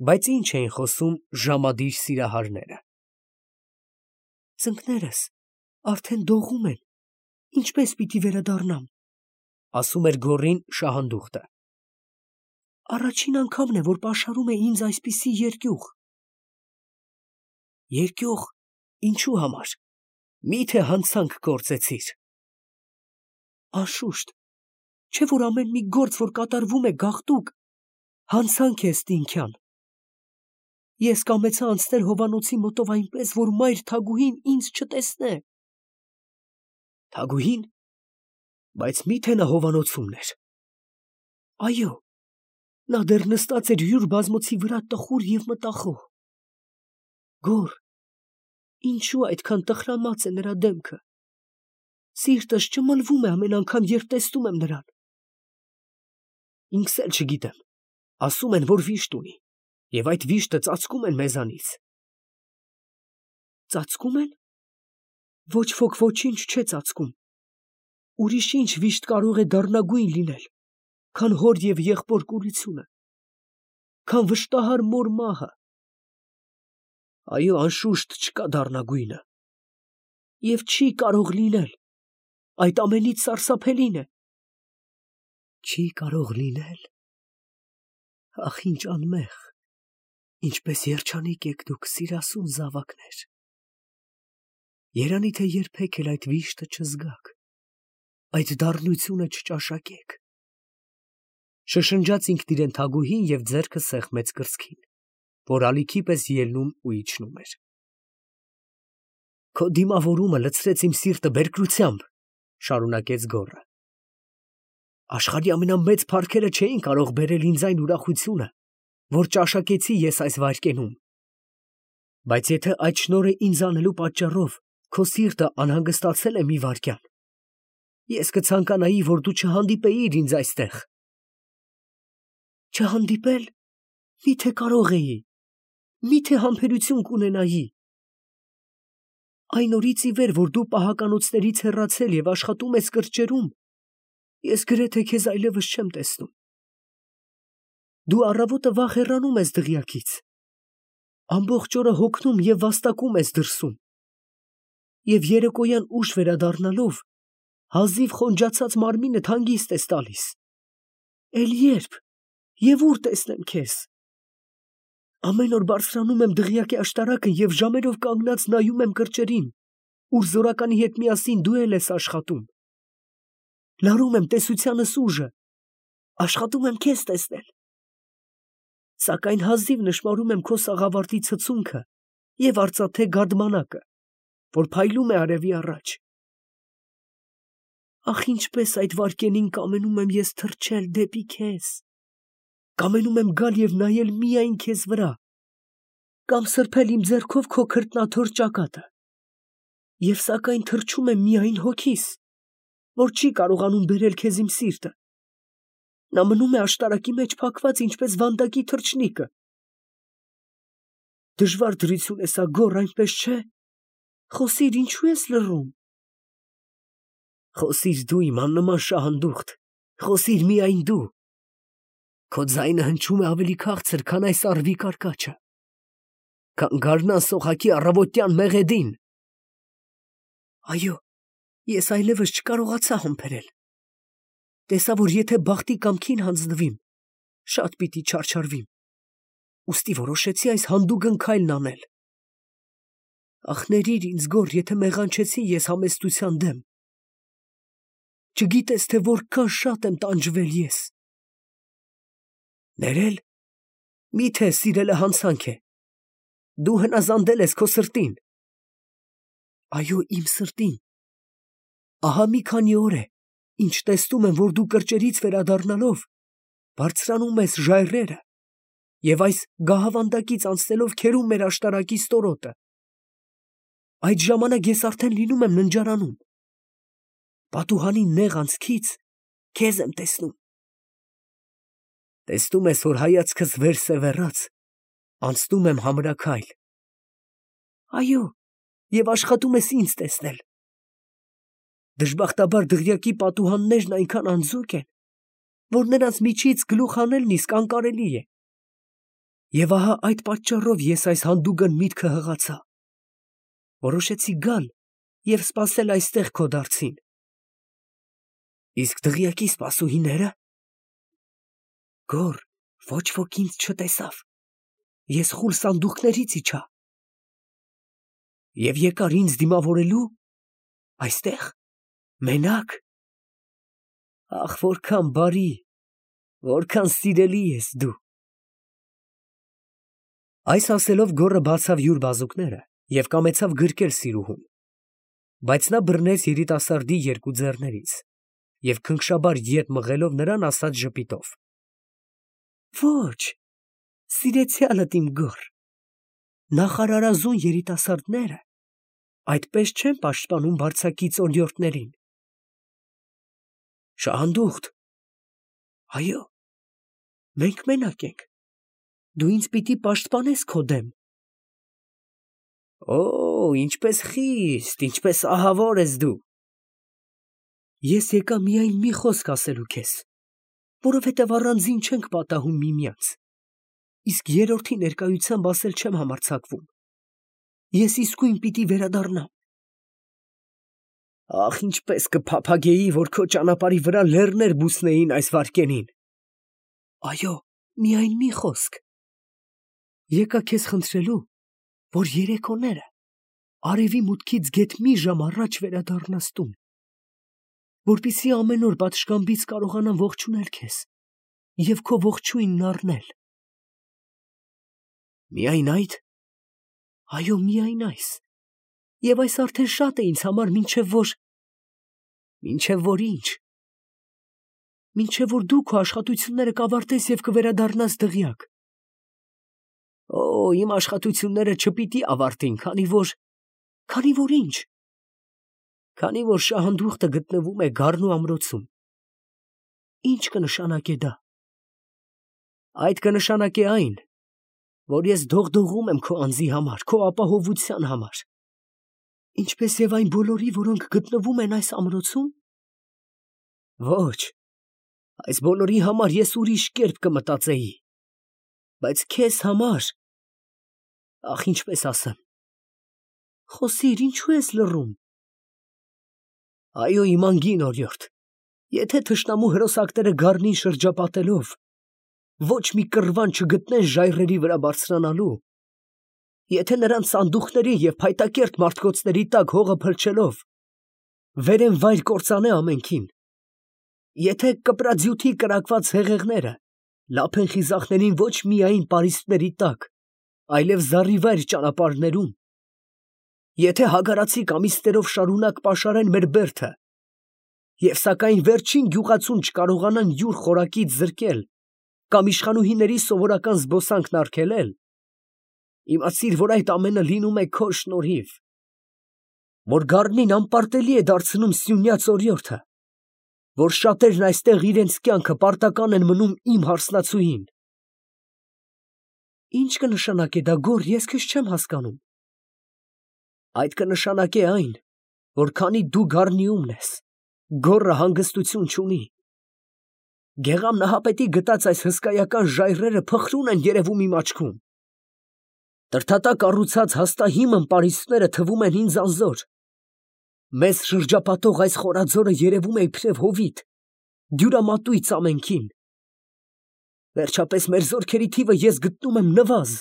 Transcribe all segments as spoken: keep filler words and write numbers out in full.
Բայց ինչ էին խոսում ժամադիր սիրահարները։ Ծնկներս արդեն դողում են, ինչպես պիտի վերադառնամ, ասում էր գոռին շահանդուխտը։ Առաջին անգամն է, որ պաշարում է ինձ այսպիսի երկյուղ։ Երկյուղ, ինչու համար, մի՞թե հանցանք գործեցիր։ Անշուշտ, չէ՞ որ ամեն մի գործ, որ կատարվում է գաղտուկ, հանցանք է ստինքյան։ Ես կամեցա անցնել հովանոցի մոտով այնպես, որ մայր Թագուհին ինձ չտեսնե։ Թագուհին, բայց մի՞թե նա հովանոցումն էր։ Այո, նա դեռ նստած էր յուր բազմոցի վրա տխուր և մտախոհ։ Գոռ, ինչու այդքան տխրամած է նրա դեմքը։ Սիրտս ճմլվում է ամեն անգամ, երբ տեսնում եմ նրան։ Ինքս էլ չգիտեմ, ասում են, որ վիշտ ունի, և այդ վիշտը ծածկում են մեզանից։ Ծածկում են։ Ոչ ոք ոչինչ չէ ծածկում։ Ուրիշ ինչ վիշտ կարող է դառնագույն լինել, քան հոր և եղբոր կուրությունը, քան վշտահար մոր մահը։ Այո, անշուշտ չկա դառնագույնը, և չի կարող լինել, այդ ամենից սարսափելին է։ Չի կարող լինել։ Ախ, ինչ անմեղ, ինչպես երջանիկ եք դուք, սիրասուն զավակներ։ Երանի թե երբեք էլ այդ վիշտը չզգաք, այդ դառնությունը չճաշակեք։ Շշնջաց ինքն իրեն Թագուհին և ձեռքը սեղմեց կրծքին, որ ալիքի պես ելնում ու իջնում էր։ Քո դիմավորումը լցրեց իմ սիրտը բերկրությամբ, շարունակեց գոռը։ Աշխարհի ամենամեծ փառքերը չէին կարող բերել ինձ այն ուրախությունը, որ ճաշակեցի ես այս վայրկենում։ Բայց եթե այդ շնորհը ինձ անելու պատճառով քո սիրտը անհանգստացել է մի վայրկյան, ես կցանկանայի, որ դու չհանդիպեիր ինձ այստեղ։ Չհանդիպել, մի՞թե կարող էի, մի՞թե համբերություն կունենայի։ Այն օրից ի վեր, որ դու պահականոցներից հեռացել և աշխատում ես կրճերում, ես գրեթե քեզ այլևս չեմ տեսնում։ Դու առավոտը վաղ հեռանում ես դղյակից, ամբողջ օրը հոգնում և վաստակում ես դրսում, և երեկոյան ուշ վերադառնալով հազիվ խոնջացած մարմինդ հանգիստ ես տալիս։ Էլ ե՞րբ և ո՞ւր տեսնեմ քեզ։ Ամեն օր բարձրանում եմ դղյակի աշտարակը և ժամերով կանգնած նայում եմ կրճերին, ուր զորականի հետ միասին դու էլ ես աշխատում։ Լարում եմ տեսությանս ուժը, աշխատում եմ քեզ տեսնել։ Սակայն հազիվ նշմարում եմ քո սաղավարտի ցցունքը և արծաթե գարդմանակը, որ փայլում է արևի առաջ։ Ախ, ինչպես այդ վայրկենին կամենում եմ ես թռչել դեպի քեզ, կամենում եմ գալ և նայել միայն քեզ վրա, կամ սրբել իմ ձեռքով քո քրտնաթոր ճակատը, և սակայն թռչում եմ միայն հոգիս, որ չի կարողանում բերել քեզ իմ սիրտը։ Նա մնում է աշտարակի մեջ փակված, ինչպես վանդակի թռչնիկը։ Դժվար դրություն է սա, գոռ, այնպես չէ։ Խոսիր, ինչու ես լռում։ Խոսիր դու, իմ աննման շահանդուխտ, խոսիր միայն դու։ Քո ձայնը հնչում է ավելի քաղցր, քան այս առվի կարկաչը, քան գարնան սողակի առավոտյան մեղեդին։ Այո, ես այլևս չկարողացա համբերել։ Տեսա, որ եթե բախտի կամքին հանձնվիմ, շատ պիտի չարչարվիմ, ուստի որոշեցի այս հանդուգն քայլն անել։ Ախ, ներիր ինձ, գոռ, եթե մեղանչեցի ես համեստության դեմ։ Չգիտես, թե որքան շատ եմ տանջվել ես։ Ներել, մի՞թե սիրելը հանցանք է։ Դու հնազանդել ես քո սրտին։ Այո, իմ սրտին։ Ահա մի քանի օր է, ինչ տեսնում եմ, որ դու կրճերից վերադառնալով բարձրանում ես ժայռերը և այս գահավանդակից անցնելով քերում մեր աշտարակի ստորոտը։ Այդ ժամանակ ես արդեն լինում եմ ննջարանում։ Պատուհանի նեղ անցքից քեզ եմ տեսնում։ Տեսնում ես, որ հայացքս վերսևեռած, անցնում եմ համրաքայլ։ Այո, և աշխատում ես ինձ տեսնել։ Դժբախտաբար դղյակի պատուհաններն այնքան անձուկ են, որ նրանց միջից գլուխ հանելն իսկ անկարելի է։ Եվ ահա այդ պատճառով ես այս հանդուգն միտքը հղացա. որոշեցի գալ և սպասել այստեղ քո դարձին։ Իսկ դղյակի սպասուհիները։ Գոր, ոչ ոք ինձ չտեսավ։ Ես խուլ սանդուղքներից իջա։ Եվ եկար ինձ դիմավորելու այստեղ, մենակ։ Ախ, որքան բարի, որքան սիրելի ես դու։ Այս ասելով գոռը բացավ յուր բազուկները և կամեցավ գրկել սիրուհուն, բայց նա բռնեց երիտասարդի երկու ձեռներից և քնքշաբար ետ մղելով նրան ասաց ժպիտով. Ոչ, սիրեցյալդ իմ գոր, նախարարազուն երիտասարդները այդպես չեն պաշտպանում բարձակից օրիորդներին։ Շահանդուխտ, այո, մենք մենակ ենք, դու ինձ պիտի պաշտպանես քո դեմ։ Օ, ինչպես խիստ, ինչպես ահավոր ես դու։ Ես եկա միայն մի խոսք ասելու քեզ, որովհետև առանձին չենք պատահում միմյանց, իսկ երրորդի ներկայությամբ ասել չեմ համարձակվում։ Ես իսկույն պիտի վերադառնամ։ Ախ, ինչպես կփափագեի, որ քո ճանապարհի վրա լեռներ բուսնեին այս վայրկենին։ Այո, միայն մի խոսք։ Եկա քեզ խնդրելու, որ երեկոները արևի մուտքից գեթ մի ժամ առաջ վերադառնաս տուն, որպեսզի ամեն օր պատշգամբից կարողանամ ողջունել քեզ և քո ողջույնն առնել։ Միայն այդ։ Այո, միայն այս։ Եվ այս արդեն շատ է ինձ համար, մինչև որ… Մինչև որ ինչ։ Մինչև որ դու քո աշխատությունները կավարտես և կվերադառնաս դղյակ։ Օ, իմ աշխատությունները չպիտի ավարտին, քանի որ… Քանի որ ինչ։ Քանի որ շահանդուխտը գտնվում է գառնու ամրոցում։ Ինչ կնշանակե դա։ Այդ կնշանակե այն, որ ես դողդողում եմ քո անձի համար, քո ապահովության համար, ինչպես և այն բոլորի, որոնք գտնվում են այս ամրոցում։ Ոչ, այս բոլորի համար ես ուրիշ կերպ կմտածեի, բայց քեզ համար… Ախ, ինչպես ասեմ… Խոսիր, ինչու ես լռում։ Այո, իմ անգին օրիորդ, եթե թշնամու հրոսակները գառնին շրջապատելով ոչ մի կռվան չգտնեն ժայռերի վրա բարձրանալու, եթե նրանց սանդուղքների և փայտակերտ մարդկոցների տակ հողը փլչելով վերեն վայր կործանե ամենքին, եթե կպրաձյութի կրակված հեղեղները լափեն խիզախներին ոչ միայն պարիսպների տակ, այլև զառիվայր ճանապարհներում, եթե հագարացի կամիստերով շարունակ պաշարեն մեր բերդը, և սակայն վերջին գյուղացուն չկարողանան յուր խորակից զրկել կամ իշխանուհիների սովորական զբոսանքն արգելել, իմացիր, որ այդ ամենը լինում է քո շնորհիվ, որ գառնին անպարտելի է դարձնում սյունյաց օրիորդը, որ շատերն այստեղ իրենց կյանքը պարտական են մնում իմ հարսնացուին։ Ինչ կնշանակե դա, գոռ, ես քեզ չեմ հասկանում։ Այդ կնշանակե այն, որ քանի դու գառնիումն ես, գոռը հանգստություն չունի։ Գեղամ Նահապետի գտած այս հսկայական ժայռերը փխրուն են երևում իմ աչքում։ Տրդատակ կառուցած հաստահիմն պարիսպները թվում են ինձ անզոր։ Մեզ շրջապատող այս խորաձորը երևում է իբրև հովիտ, դյուրամատույց ամենքին։ Վերջապես մեր զորքերի թիվը ես գտնում եմ նվազ,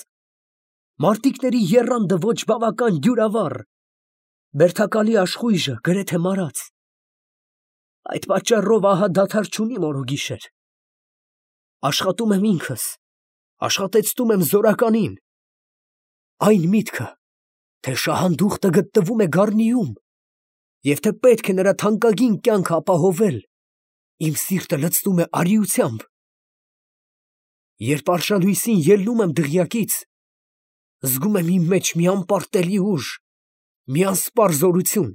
մարտիկների եռանդը ոչ բավական դյուրավառ, բերդակալի աշխույժը գրեթե մարած։ Այդ պատճառով ահա դադար չունիմ օրոգիշեր։ Աշխատում եմ ինքս, աշխատեցնում եմ զորականին։ Այն միտքը, թե շահանդուխտը գտնվում է գառնիում, և թե պետք է նրա թանկագին կյանքը ապահովել, իմ սիրտը լցնում է արիությամբ։ Երբ արշալույսին ելնում եմ դղյակից, զգում եմ իմ մեջ մի անպարտելի ուժ, մի անսպառ զորություն։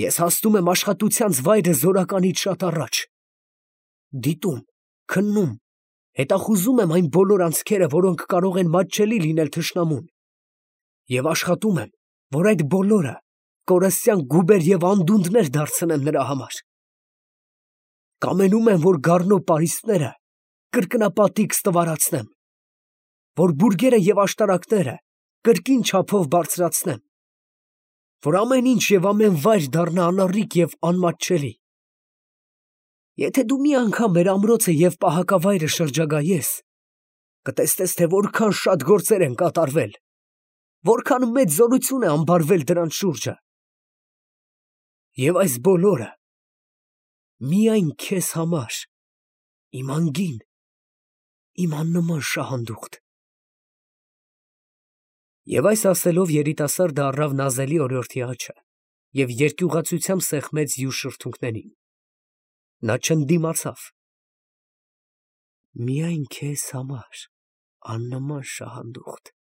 Ես հասնում եմ աշխատությանց վայրը զորականից շատ առաջ, դիտում, քննում, հետախուզում եմ այն բոլոր անցքերը, որոնք կարող են մատչելի լինել թշնամուն, և աշխատում եմ, որ այդ բոլորը կորստյան գուբեր և անդունդներ դարձնեմ նրա համար։ Կամենում եմ, որ գառնու պարիսպները կրկնապատիկ ստվարացնեմ, որ բուրգերը և աշտարակները կրկին չափով բարձրացնեմ, որ ամեն ինչ և ամեն վայր դառնա անառիկ և անմատչելի։ Եթե դու մի անգամ մեր ամրոցը և պահակավայրը շրջագայես, կտեսնես, թե որքան շատ գործեր են կատարվել, որքան մեծ զորություն է ամբարվել դրանց շուրջը։ Եվ այս բոլորը միայն քեզ համար, իմ անգին, իմ աննման շահանդուխտ։ Եվ այս ասելով երիտասարդը առավ նազելի օրիորդի աջը և երկյուղացությամբ սեղմեց յուր շրթունքներին. նա չընդդիմացավ. Միայն քեզ համար, աննման շահանդուխտ,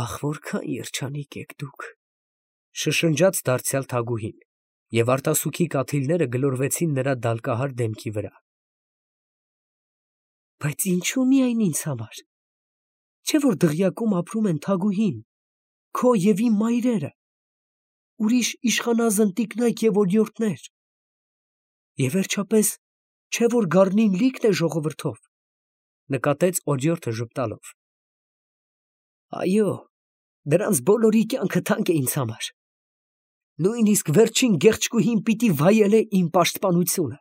ախ, որքան երջանիկ եք դուք, շշնջաց դարձյալ թագուհին, և արտասուքի կաթիլները գլորվեցին նրա դալկահար դեմքի վրա։ Բայց ինչո՞ւ միայն ինձ համար, չէ՞ որ դղյակում ապրում են թագուհին, քո և իմ մայրերը, ուրիշ իշխանազն տիկնայք և օրիորդներ, և վերջապես, չէ՞ որ գառնին լիքն է ժողովրդով, նկատեց օրիորդը ժպտալով։ Այո, դրանց բոլորի կյանքը թանկ է ինձ համար, նույնիսկ վերջին գեղեցկուհին պիտի վայելե իմ պաշտպանությունը,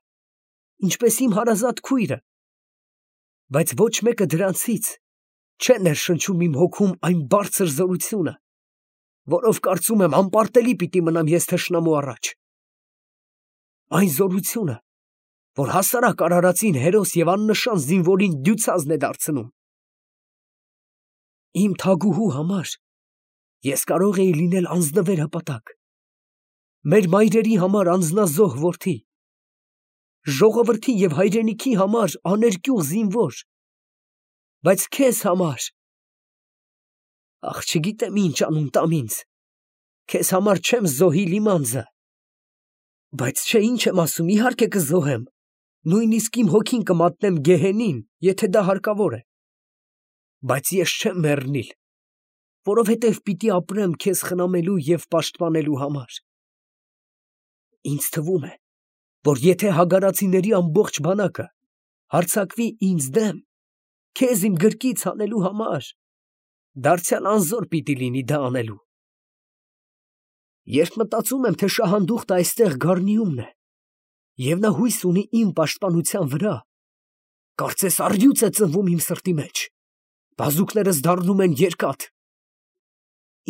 ինչպես իմ հարազատ քույրը, բայց ոչ մեկը դրանցից չէ ներշնչում իմ հոգում այն բարձր զորությունը, որով կարծում եմ անպարտելի պիտի մնամ ես թշնամու առաջ, այն զորությունը, որ հասարակ արարածին հերոս և աննշան զինվորին դյուցազն է դարձնում։ Իմ թագուհու համար ես կարող էի լինել անձնվեր հպատակ, մեր մայրերի համար անձնազոհ որդի, ժողովրդի և հայրենիքի համար աներկյուղ զինվոր, բայց քեզ համար… Ախ, չգիտեմ ինչ անուն տամ ինձ, քեզ համար չեմ զոհի լիմանձը, բայց չէ, ինչ եմ ասում, իհարկե կզոհեմ, նույնիսկ իմ հոգին կմատնեմ գեհենին, եթե դա հարկավոր է, բայց ես չեմ մեռնիլ, որովհետև պիտի ապրեմ քեզ խնամելու և պաշտպանելու համար։ Ինձ թվում է, որ եթե հագարացիների ամբողջ բանակը հարձակվի ինձ դեմ, քեզ իմ գրկից հանելու համար, դարձյալ անզոր պիտի լինի դա անելու։ Երբ մտածում եմ, թե շահանդուխտը այստեղ գառնիումն է, և նա հույս ունի իմ պաշտպանության վրա, կարծես առյուծ է ծնվում իմ սրտի մեջ, բազուկներս դառնում են երկաթ։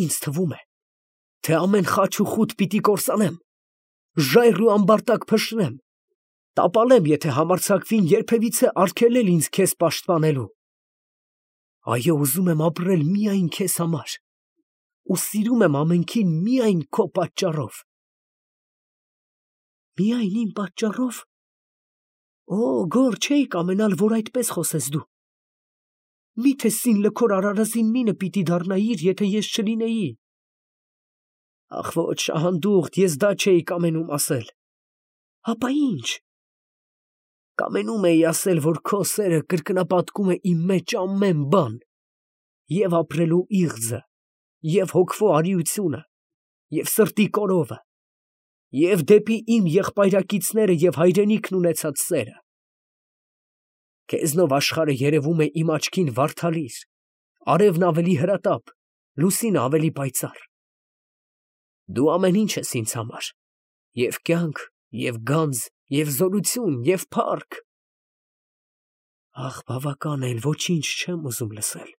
Ինձ թվում է, թե ամեն խաչ ու խուտ պիտի կորսանեմ, ժայռ ու ամբարտակ փշրեմ, տապալեմ, եթե համարձակվին երբևիցե արգելել ինձ քեզ պաշտպանելու։ Այո, ուզում եմ ապրել միայն քեզ համար ու սիրում եմ ամենքին միայն քո պատճառով։ Միայն իմ պատճառով… Օ, գոհ չէի կամենալ, որ այդպես խոսես դու։ Մի՞թե սինլքոր արարածին մինը պիտի դառնայիր, եթե ես չլինեի։ Ախ ոչ, շահանդուխտ, ես դա չէի կամենում ասել։ Հապա ի՞նչ։ Կամենում էի ասել, որ քո սերը կրկնապատկում է իմ մեջ ամեն բան, և ապրելու իղձը, և հոգվո արիությունը, և սրտի կորովը, և դեպի իմ եղբայրակիցները և հայրենիքն ունեցած սերը։ Քեզնով աշխարհը երևում է իմ աչքին վարդալիր, արևն ավելի հրատապ, լուսինը ավելի պայծառ։ Դու ամեն ինչ ես ինձ համար, և կյանք, և գանձ, և զորություն, և փառք։ Ախ, բավական է, էլ ոչինչ չեմ ուզում լսել։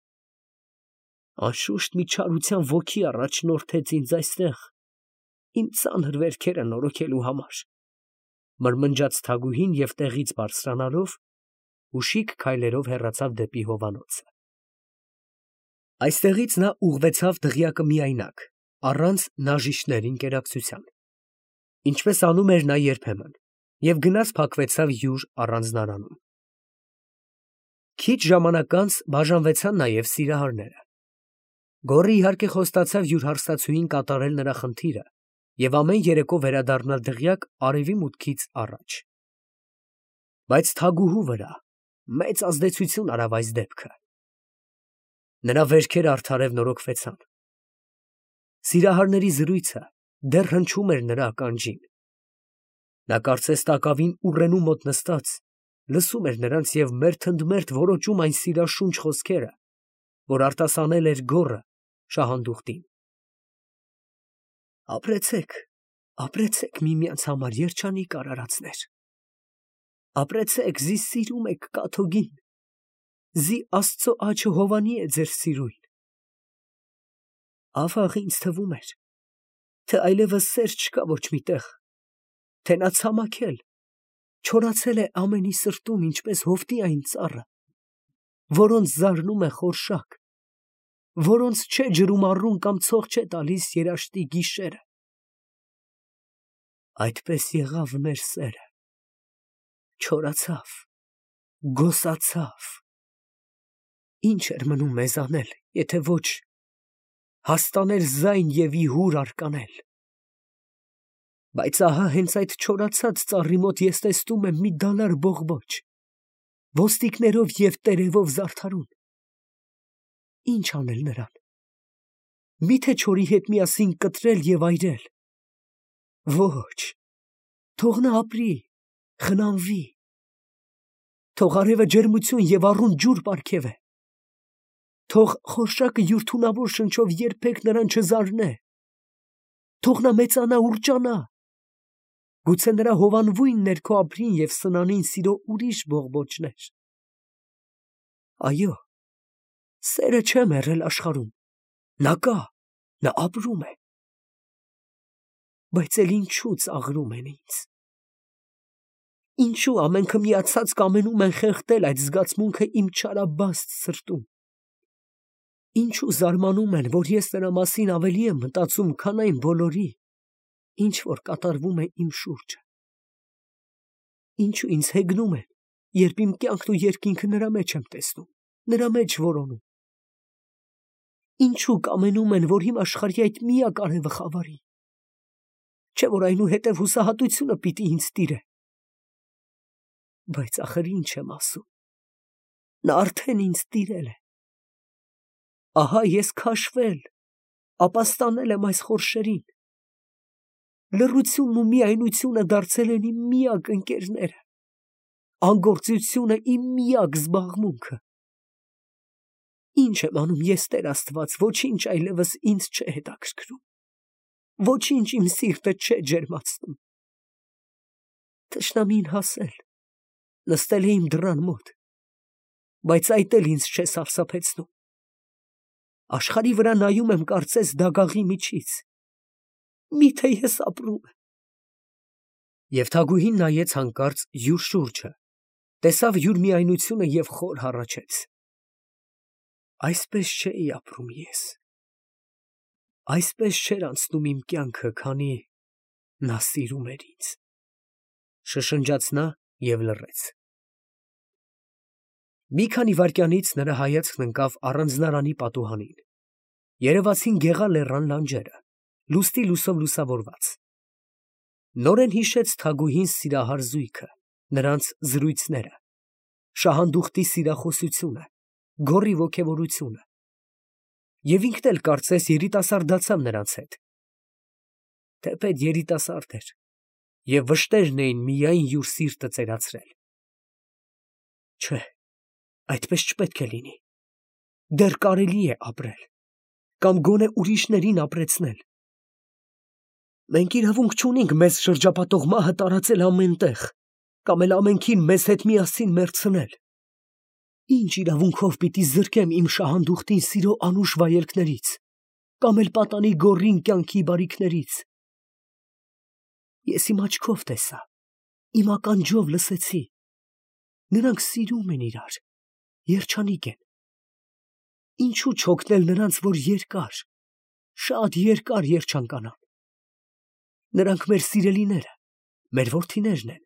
Անշուշտ մի չարության ոգի առաջնորդեց ինձ այստեղ իմ ծանր վերքերը նորոգելու համար, մրմնջաց թագուհին և տեղից բարձրանալով ուշիկ քայլերով հեռացավ դեպի հովանոցը։ Այստեղից նա ուղղվեցավ դղյակը միայնակ, առանց նաժիշտների ընկերակցության, ինչպես անում էր նա երբեմն, և գնաց փակվեցավ յուր առանձնարանում։ Քիչ ժամանակ անց բաժանվեցան նաև սիրահարները։ Գոռը իհարկե խոստացավ յուր հարստացուհին կատարել նրա խնդիրը և ամեն երեկո վերադառնալ դղյակ արևի մուտքից առաջ։ Բայց թագուհու վրա մեծ ազդեցություն արավ այս դեպքը։ Նրա վերքերը արդարև նորոգվեցան։ Սիրահարների զրույցը դեռ հնչում էր նրա ականջին։ Նա կարծես տակավին ուռենու մոտ նստած լսում էր նրանց և մերթընդմերթ որոճում այն սիրաշունչ խոսքերը, որ արտասանել էր գոռը շահանդուխտին. «Ապրեցեք, ապրեցեք միմյանց համար, երջանիկ արարածներ, ապրեցեք, զի սիրում եք կաթոկին, զի Աստծո աջը հովանի է ձեր սիրույն»։ Ավաղ ինձ թվում էր, թե այլևս սեր չկա ոչ մի տեղ, թե նա ցամաքել, չորացել է ամենի սրտում, ինչպես հովտի այն ծառը, որոնց զարնում է խորշակ, որոնց չէ ջրում առուն կամ ցող չէ տալիս երաշտի գիշերը։ Այդպես եղավ մեր սերը, չորացավ, գոսացավ։ Ինչ էր մնում մեզ անել, եթե ոչ հաստանել ձայն և ի հուր արկանել։ Բայց ահա հենց այդ չորացած ծառի մոտ ես տեսնում եմ մի դալար բողբոջ, ոստիկներով և տերևով զարդարուն։ Ինչ անել նրան։ Մի՞թե չորի հետ միասին կտրել և այրել։ Ոչ, թող նա ապրի, խնամվի, թող արևը ջերմություն և առուն ջուր պարգևե, թող խորշակը յուր թունավոր շնչով երբեք նրան չզարնե, թող նա մեծանա, ուռճանա, գուցե նրա հովանվույն ներքո ապրին և սնանին սիրո ուրիշ բողբոջներ։ Այո, սերը չէ մեռել աշխարհում, նա կա, նա ապրում է։ Բայց էլ ինչու ծաղրում են ինձ։ Ինչու ամենքը միացած կամենում են խեղդել այդ զգացմունքը իմ չարաբաստ սրտում։ Ինչու զարմանում են, որ ես նրա մասին ավելի եմ մտածում, քան այն բոլորի, ինչ որ կատարվում է իմ շուրջը։ Ինչու ինձ հեգնում են, երբ իմ կյանքն ու երկինքը նրա մեջ եմ տեսնում, նրա մեջ որոնում։ Ինչու կամենում են, որ իմ աշխարհի այդ միակ արևը խավարի։ Չէ՞ որ այնուհետև հուսահատությունը պիտի ինձ տիրե։ Բայց ախր ինչ եմ ասում, նա արդեն ինձ տիրել է։ Ահա ես քաշվել, ապաստանել եմ այս խորշերին։ Լռությունն ու միայնությունը դարձել են իմ միակ ընկերները, անգործությունը իմ միակ զբաղմունքը։ Ինչ եմ անում ես, Տեր Աստված, ոչինչ այլևս ինձ չէ հետաքրքրում, ոչինչ իմ սիրտը չէ ջերմացնում։ Թշնամին հասել, նստել է իմ դռան մոտ, բայց այդ էլ ինձ չէ սարսափեցնում։ Աշխարհի վրա նայում եմ կարծես դագաղի միջից։ Մի՞թե ես ապրում եմ։ Եվ թագուհին նայեց հանկարծ յուր շուրջը, տեսավ յուր միայնությունը և խոր հառաչեց. այսպես չէի ապրում ես, այսպես չէր անցնում իմ կյանքը, քանի նա սիրում էր ինձ, շշնջաց նա և լռեց։ Մի քանի վայրկյանից նրա հայացքն ընկավ առանձնարանի պատուհանին, երևացին գեղա-լեռան լանջերը, լուսնի լույսով լուսավորված։ Նորեն հիշեց թագուհին սիրահար զույգը, նրանց զրույցները, շահանդուխտի սիրախոսությունը, գոռի ոգևորությունը, և ինքն էլ կարծես երիտասարդացավ նրանց հետ։ Թեպետ երիտասարդ էր, և վշտերն էին միայն յուր սիրտը ծերացրել։ Չէ, այդպես չպետք է լինի, դեռ կարելի է ապրել, կամ գոնե ուրիշներին ապրեցնել։ Մենք իրավունք չունենք մեզ շրջապատող մահը տարածել ամեն տեղ, կամ էլ ամենքին մեզ հետ միասին մեռցնել։ Ինչ իրավունքով պիտի զրկեմ իմ շահանդուխտին սիրո անուշ վայելքներից, կամ էլ պատանի գոռին կյանքի բարիքներից։ Ես իմ աչքով տեսա, իմ ականջով լսեցի. նրանք սիրում են իրար, երջանիկ են։ Ինչու չօգնել նրանց, որ երկար, շատ երկար երջանկանան։ Նրանք մեր սիրելիները, մեր որդիներն են։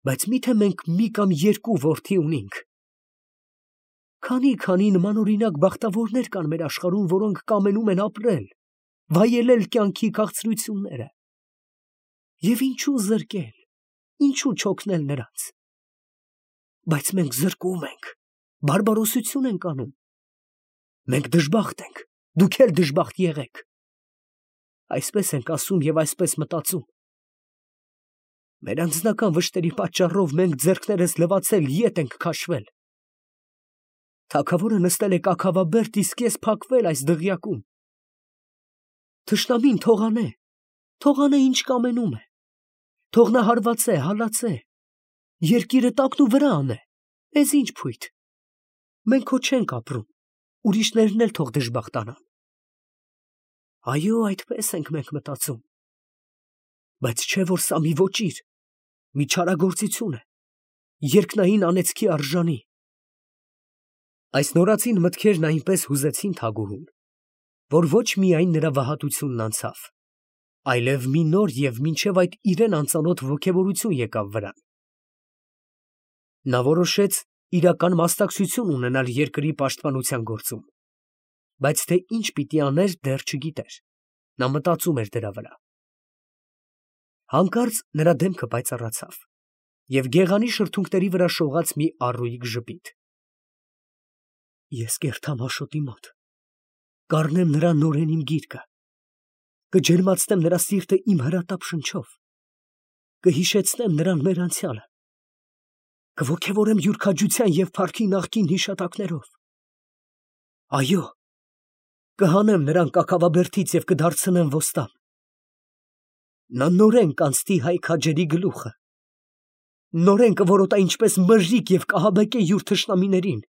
Բայց մի՞թե մենք մի կամ երկու որդի ունենք։ Քանի՛֊քանի նմանօրինակ բախտավորներ կան մեր աշխարհում, որոնք կամենում են ապրել, վայելել կյանքի քաղցրությունները։ Եվ ինչու զրկել, ինչու չօգնել նրանց։ Բայց մենք զրկում ենք, բարբարոսություն ենք անում։ Մենք դժբախտ ենք, դուք էլ դժբախտ եղեք։ Այսպես ենք ասում և այսպես մտածում։ Մեր անձնական վշտերի պատճառով մենք ձեռքներս լվացել ետ ենք քաշվել։ Թագավորը նստել է կաքավաբերդ, իսկ ես փակվել այս դղյակում։ Թշնամին թող անե, թող անե ինչ կամենում է, թող նա հարվածե, հալածե, երկիրը տակն ու վրա անե, մեզ ինչ փույթ։ Մենք քո չենք ապրում, ուրիշներն էլ թող դժբախտանան։ Այո, այդպես ենք մենք մտածում, բայց չէ որ սա մի ոճիր, մի չարագործություն է, երկնային անեծքի արժանի։ Այս նորածին մտքերն այնպես հուզեցին Թագուհուն, որ ոչ միայն նրա վհատությունն անցավ, այլև մի նոր և մինչև այդ իրեն անծանոթ ոգևորություն եկավ վրան։ Նա որոշեց իրական մասնակցություն ունենալ երկրի պաշտպանության գործում, բայց թե ինչ պիտի աներ դեռ չգիտեր, նա մտածում էր դրա վրա։ Հանկարծ նրա դեմքը պայծառացավ, և գեղանի շրթունքների վրա շողաց մի առույգ ժպիտ։ Ես կերթամ Աշոտի մոտ, կառնեմ նրա նորեն իմ գիրկը, կջերմացնեմ նրա սիրտը իմ հրատապ շնչով, կհիշեցնեմ նրան մեր անցյալը, կոգևորեմ յուր քաջության և փառքի նախկին հիշատակներով։ Այո, կհանեմ նրան կաքավաբերդից և կդարձնեմ ոստան։ Նա նորեն կանցնի հայ քաջերի գլուխը, նորեն կորոտա ինչպես մրրիկ և կահաբեկե յուր թշնամիներին։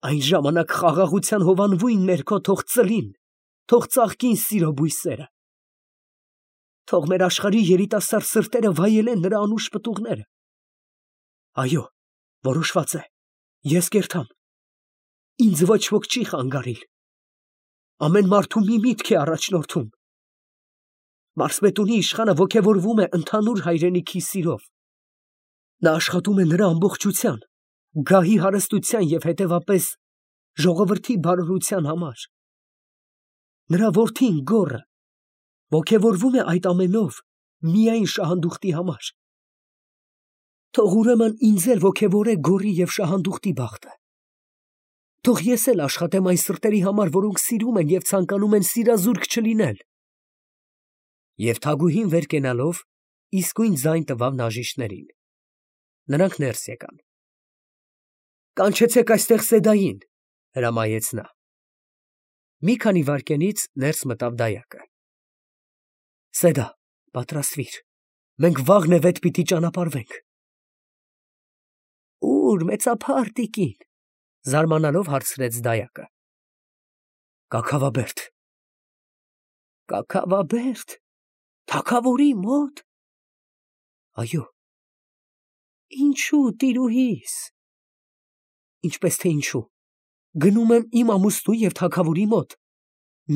Այն ժամանակ խաղաղության հովանվույն ներքո թող ծլին, թող ծաղկին սիրո բույսերը։ Թող մեր աշխարհի երիտասարդ սրտերը վայելեն նրա անուշ պտուղները։ Այո, որոշված է, ես կերթամ, ինձ ոչ ոք չի խանգարիլ։ Ամեն մարդու մի միտք է առաջնորդում։ Մարսպետունի իշխանը ոգևորվում է ընդհանուր հայրենիքի սիրով։ Նա աշխատում է նրա ամբողջության, գահի հարստության և հետևապես ժողովրդի բարօրության համար։ Նրա որդին Գոռը ոգևորվում է այդ ամենով միայն շահանդուխտի համար։ Թող ուրեմն ինձ էլ ոգևորե Գոռի և շահանդուխտի բախտը։ Թող ես էլ աշխատեմ այն սրտերի համար, որոնք սիրում են և ցանկանում են սիրազուրկ չլինել։ Եվ Թագուհին վեր կենալով իսկույն ձայն տվավ նաժիշտներին։ Նրանք ներս եկան։ Կանչեցեք այստեղ Սեդային, հրամայեց նա։ Մի քանի վայրկյանից ներս մտավ դայակը։ Սեդա, պատրաստվիր, մենք վաղ նևետ պիտի ճանապարհվենք։ Ո՞ւր, մեծափառ տիկին, զարմանալով հարցրեց դայակը։ Կաքավաբերդ։ Կաքավաբերդ, թագավորի մոտ։ Այո։ Ինչու, տիրուհիս։ Ինչպես թե ինչու, գնում եմ իմ ամուսնու և թագավորի մոտ,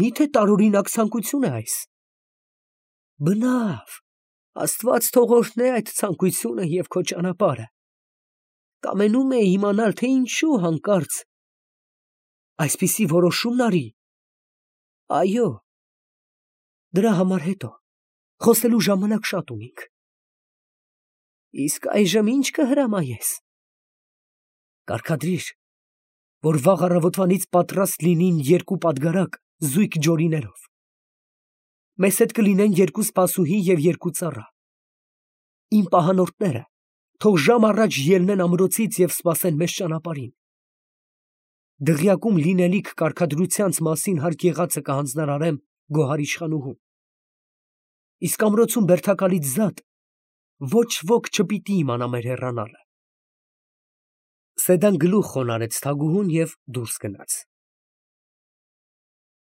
միթե տարօրինակ ցանկություն է այս։ Բնավ, Աստված թող օրհնե այդ ցանկությունը և քո ճանապարհը։ Կամենում էի իմանալ, թե ինչու հանկարծ այսպիսի որոշումն արի։ Այո, դրա համար հետո, խոսելու ժամանակ շատ ունենք։ Իսկ այժմ ինչ կհրամայես։ Կարգադրիր, որ վաղ առավոտվանից պատրաստ լինին երկու պատգարակ զույգ ջորիներով։ Մեզ հետ կլինեն երկու սպասուհի և երկու ծառա։ Իմ պահանորդները թող ժամ առաջ ելնեն ամրոցից և սպասեն մեզ ճանապարհին։ Դղյակում լինելիք կարգադրությանց մասին հարկ եղածը կհանձնարարեմ գոհար իշխանուհուն։ Իսկ ամրոցում բերդակալից զատ ոչ ոք չպիտի իմանա մեր հեռանալը։ Սեդան գլուխ խոնարհեց Թագուհուն և դուրս գնաց։